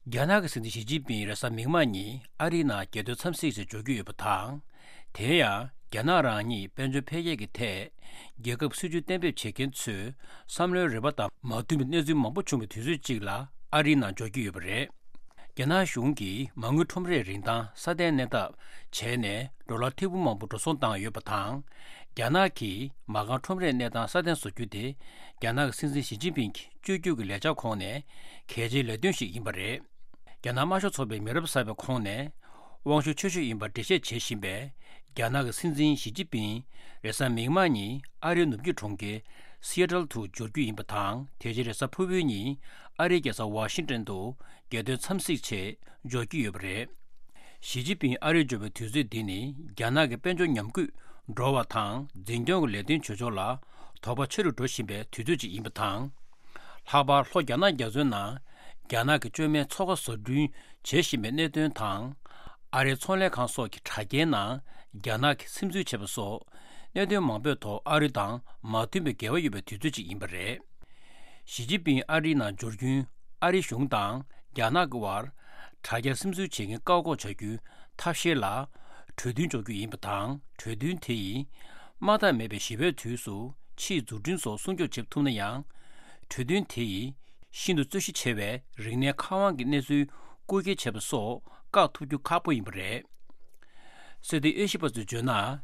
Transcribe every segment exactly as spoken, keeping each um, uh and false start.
རྒྱ་ནག་གི་སྲིད་འཛིན་ཞི་ཅིན་ཕིང་རེས་གཟའ་མིག་དམར་ཉིན་ཨ་རིའི་ནང་རྒྱལ་དོན་འཚམས་གཟིགས་ཆེད་འབྱོར་རྒྱུ་ཡོད་པ་དང་། དེ་ཡང་རྒྱ་ནག་རང་ཉིད་དཔལ་འབྱོར་འཕེལ་རྒྱས་ཀྱི་ཐད་རྒྱལ་ཁབ་སྲིད་ཇུས་གཏན་འབེབས་བྱེད་མཁན་ཚོས་བསམ་བློའི་རེ་བ་དང་མ་མཐུན་པའི་གནས་ཚུལ་མང་པོ་བྱུང་བའི་དུས་ཚོད་ཅིག་ལ་ཨ་རིའི་ནང་འབྱོར་རྒྱུ་ཡོད་པ་རེད། རྒྱ་ནག་གཞུང་གིས་མ་དངུལ་ཁྲོམ་རའི་རིན་ཐང་སྲ་བརྟན་གནས་ཐབས་བྱས་ནས་ཌོ་ལར་ཐེར་འབུམ་མང་པོ་འགྲོ་སོང་བཏང་ཡོད་པ་དང་། རྒྱ་ནག་གིས་མ་རྐང་ཁྲོམ་རའི་གནས་སྟངས་སྲ་བརྟན་བཟོ་རྒྱུ་དེ་རྒྱ་ནག་གི་སྲིད་འཛིན་ཞི་ཅིན་ཕིང་གི་བཅོས་བསྒྱུར་གྱི་ལས་འཆར་ཁོངས་ནས་གལ་ཆེའི་ལས་དོན་ཞིག་ཡིན་པ་རེད། རྒྱ་ནག་དམར་ཤོག་ཚོགས་པའི་མི་རབས་གསར་པའི་ཁོངས་ནས་དབང་ཤུགས་ཆེ་ཤོས་ཡིན་པར་འགྲེལ་བཤད་བྱེད་བཞིན་པའི་རྒྱ་ནག་གི་སྲིད་འཛིན་ཞི་ཅིན་ཕིང་རེས་གཟའ་མིག་དམར་ཉིན་ཨ་རིའི་ནུབ་རྒྱུད་གྲོང་ཁྱེར་སི་ཨེ་ཊལ་དུ་འབྱོར་རྒྱུ་ཡིན་པ་དང་། དེ་རྗེས་རེས་གཟའ་ཕུར་བུའི་ཉིན་ཨ་རིའི་རྒྱལ་ས་ཝ་ཤིང་ཏན་དུ་རྒྱལ་དོན་འཚམས་གཟིགས་ཆེད་འབྱོར་གྱི་ཡོད་པ་རེད། ཞི་ཅིན་ཕིང་ཨ་རིར་འབྱོར་བའི་དུས་ཚོད་འདི་ནི་རྒྱ་ནག་གི་དཔལ་འབྱོར་ཉམས་རྒུད་འགྲོ་བ་དང་འཛིན་སྐྱོང་གི་ལས་དོན་བྱེད་ཕྱོགས་ལ་དོགས་པ་ཆེ་རུ་འགྲོ་བཞིན་པའི་དུས་ཚོད་ཅིག་ཡིན་པ་དང་། ལྷག་པར་ལྷོ་རྒྱ་ནག་རྒྱ་མཚོའི་ནང་རྒྱ་ནག་གི་བཅོས་མའི་མཚོ་ཁ་བཟོ་སྐྲུན་བྱེད་བཞིན་པའི་གནད་དོན་དང་། ཨ་རིའི་ཚོང་ལས་ཁང་སོགས་ཀྱི་དྲ་རྒྱའི་ནང་རྒྱ་ནག་གིས་སིམ་འཛུལ་བྱས་པ་སོགས་གནད་དོན་མང་པོའི་ཐོག་ཨ་རི་དང་མ་མཐུན་པའི་འགལ་བ་ཡོད་པའི་དུས་ཚོད་ཅིག་ཡིན་པ་རེད། ཞི་ཅིན་ཕིང་ཨ་རིའི་ནང་འབྱོར་རྒྱུན་ཨ་རིའི་གཞུང་དང་རྒྱ་ནག་གི་དབར་དྲ་རྒྱ་སིམ་འཛུལ་བྱེད་མཁན་བཀག་འགོག་བྱ་རྒྱུའི་ཐབས་ཤེས་ལ་གྲོས་མཐུན་འཇོག་རྒྱུ་ཡིན་པ་དང་། གྲོས་མཐུན་དེ་ཡིས་དམག་འཐབ་མེད་པའི་ཞི་བའི་དུས་སུ་ཕྱིའི་འཛུགས་སྐྲུན་སོགས་སྲུང་སྐྱོབ་བྱེད་ཐུབ་ན་ཡང་། གྲོས་མཐུན་དེ་ཡིས་ཤིན་ཏུ་རྩོད་གཞི་ཆེ་བའི་རིག་གནས་མཁར་དབང་གི་གནས་ཚུལ་རྐུ་འཁྱེར་བྱས་པ་སོགས་བཀག་ཐུབ་རྒྱུ་ཁག་པོ་ཡིན་པ་རེད། སྲིད་དོན་དབྱེ་ཞིབ་པ་ཚོས་བརྗོད་ན།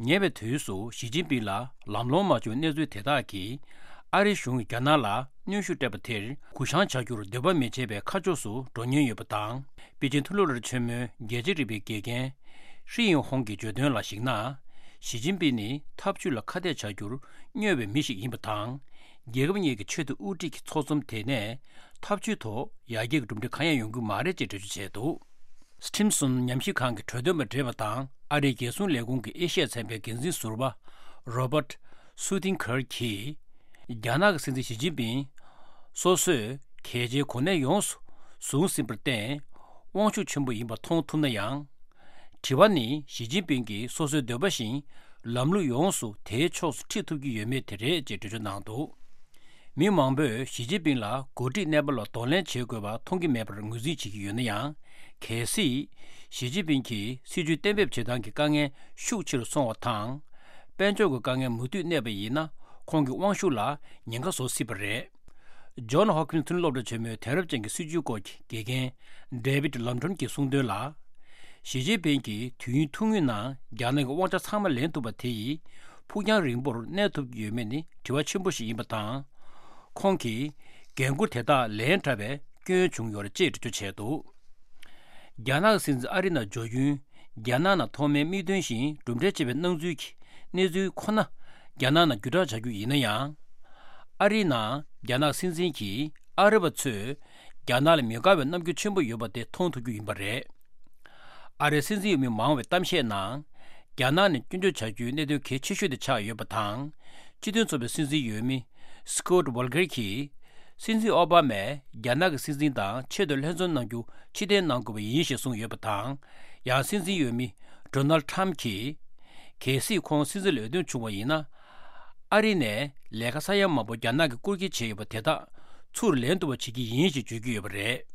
ཉེ་བའི་དུས་སུ་ཞི་ཅིན་ཕིང་ལ་ལམ་ལྷོང་མ་བྱུང་བའི་གནས་ཚུལ་དེ་དག་གིས་ཨ་རིའི་གཞུང་གིས་རྒྱ་ནག་ལ་གནོན་ཤུགས་སྤྲད་པ་དེར་གུ་བཤངས་བྱ་རྒྱུར་འདོད་པ་མི་བྱེད་པའི་ཁ་ཕྱོགས་སུ་འགྲོ་ཉེན་ཡོད་པ་དང་། པེ་ཅིན་མཐོ་སློབ་ར་ཆེན་མོའི་རྒྱལ་སྤྱིའི་རིག་པའི་དགེ་རྒན་ཧྲི་ཡིན་ཧོང་གིས་བརྗོད་དོན་ལ་གཞིགས་ན། ཞི་ཅིན་ཕིང་ནི་འཐབ་ཇུས་ལ་ཁ་གཏད་བྱ་རྒྱུར་སྨྱོ་བའི་མི་ཞིག་ཡིན་པ་དང་། རྒྱལ་ཁབ་གཉིས་ཀྱི་ཆེས་མཐོའི་དབུ་ཁྲིད་ཀྱི་ཚོགས་འཛོམས་དེ་ནས་འཐབ་ཇུས་ཐོག་ཡར་རྒྱས་ཀྱི་གྲུབ་འབྲས་གང་ཡང་ཡོང་གི་མ་རེད་ཅེས་འགྲེལ་བརྗོད་བྱས་འདུག། སི་ཊིམ་སོན་ཉམས་ཞིབ་ཁང་གི་གྲོས་འདོན་པ་བགྲེས་པ་དང་ཨ་རིའི་རྒྱལ་སྲུང་ལས་ཁུངས་ཀྱི་ཨེ་ཤི་ཡ་ཚན་པའི་འགན་འཛིན་ཟུར་པ་རོ་བྷར་སུ་ཐིན་ཁར་གྱིས། རྒྱ་ནག་གི་སྲིད་འཛིན་ཞི་ཅིན་ཕིང་སོ་སོས་གལ་ཆེའི་གོ་གནས་ཡོངས་སུ་བཟུང་ཟིན་པར་བརྟེན་དབང་ཤུགས་ཆེན་པོ་ཡིན་པ་མཐོང་ཐུབ་ན་ཡང་། དྲི་བ་ནི་ཞི་ཅིན་ཕིང་གིས་སོ་སོའི་འདོད་པ་བཞིན་ལམ་ལུགས་ཡོངས་སུ་དེའི་ཕྱོགས་སུ་ཁྲིད་ཐུབ་ཀྱི་ཡོད་མེད་དེ་རེད་ཅེས་འགྲེལ་བརྗོད་གནང་འདུག། མི་མང་པོས་ཞི་ཅིན་ཕིང་ལ་འགོ་ཁྲིད་གནས་བབ་ལ་གདོང་ལེན་བྱེད་དགོས་པ་མཐོང་གི་མེད་པར་ངོས་འཛིན་བྱེད་ཀྱི་ཡོད་ན་ཡང་། གལ་སྲིད་ཞི་ཅིན་ཕིང་གིས་སྲིད་ཇུས་གཏན་འབེབས་བྱེད་སྟངས་ཀྱི་དཀའ་ངལ་ཤུགས་ཆེ་རུ་སོང་བ་དང་། དཔལ་འབྱོར་གྱི་དཀའ་ངལ་མུ་མཐུད་གནས་པ་ཡིན་ན། ཁོང་གི་དབང་ཤུགས་ལ་ཉེན་ཁ་བཟོ་སྲིད་པ་རེད། ཇོན་ཧོབ་ཀིན་མཐོ་རིམ་སློབ་གྲྭ་ཆེན་མོའི་དེང་རབས་ཅན་གྱི་སྲིད་ཇུས་སྐོར་གྱི་དགེ་རྒན་ཌེ་བིད་ལམ་ཁྲོན་གྱིས་གསུངས་དོན་ལ། ཞི་ཅིན་ཕིང་གིས་དུས་ཡུན་ཐུང་ངུའི་ནང་རྒྱ་ནག་གི་དབང་ཆ་ཚང་མ་ལེན་ཐུབ་པ་དེ་ཡིས་ཕུགས་རྒྱང་རིང་པོར་གནས་ཐུབ་ཀྱི་ཡོད་མེད་ནི་དྲི་བ་ཆེན་པོ་ཞིག་ཡིན་པ་དང་། ཁོང་གིས་འགན་འཁུར་དེ་དག་ལེན་དྲགས་པའི་སྐྱོན་བྱུང་ཡོད་རེད་ཅེས་འགྲེལ་བརྗོད་བྱས་འདུག། རྒྱ་ནག་གི་སྲིད་འཛིན་ཨ་རིའི་ནང་འབྱོར་རྒྱུན། རྒྱ་ནག་ནང་ཐོག་མའི་དམིགས་དོན་བཞིན་གྲུབ་འབྲས་ཆེ་བའི་སྣང་ཚུལ་གྱི་གནས་ཚུལ་ཁོ་ན་རྒྱ་ནག་ནང་བརྒྱུད་བསྒྲགས་བྱ་རྒྱུ་ཡིན་ན་ཡང་། ཨ་རིའི་ནང་རྒྱ་ནག་སྲིད་འཛིན་གྱིས་ཨ་རི་བ་ཚོས་རྒྱ་ནག་ལ་མི་དགའ་བའི་རྣམ་འགྱུར་ཆེན་པོ་ཡོད་པ་དེ་མཐོང་ཐུབ་རྒྱུ་ཡིན་པ་རེད། ཨ་རིའི་སྲིད་འཛིན་འོས་མི་མང་བའི་གཏམ་བཤད་ནང་། རྒྱ་ནག་ནས་སྐྱོན་བརྗོད་བྱ་རྒྱུའི་གནད་དོན་གལ་ཆེ་ཤོས་དེ་ཆགས་ཡོད་པ་དང་། སྤྱི་མཐུན་ཚོགས་པའི་སྲིད་འཛིན་འོས་མི་སི་ཀོད་ཝོལ་ཀེར་གྱིས། སྲིད་འཛིན་ཨོ་བྷ་མས་རྒྱ་ནག་གི་སྲིད་འཛིན་དང་ཆེད་དུ་ལྷན་འཛོམས་གནང་རྒྱུ་ཕྱིར་འཐེན་གནང་དགོས་པ་ཡིན་ཞེས་གསུངས་ཡོད་པ་དང་། ཡང་སྲིད་འཛིན་འོས་མི་ཌོ་ནལ་ཊམ་གྱིས། གལ་སྲིད་ཁོང་སྲིད་འཛིན་ལ་འོས་ཐོན་བྱུང་བ་ཡིན་ན། ཨ་རི་ནས་ལས་ཀ་ས་ཡ་མང་པོ་རྒྱ་ནག་གིས་བསྐུར་སྐྱེལ་བྱས་ཡོད་པ་དེ་དག་ཚུར་ལེན་ཐུབ་པ་བྱེད་ཀྱི་ཡིན་ཞེས་བརྗོད་ཀྱི་ཡོད་པ་རེད།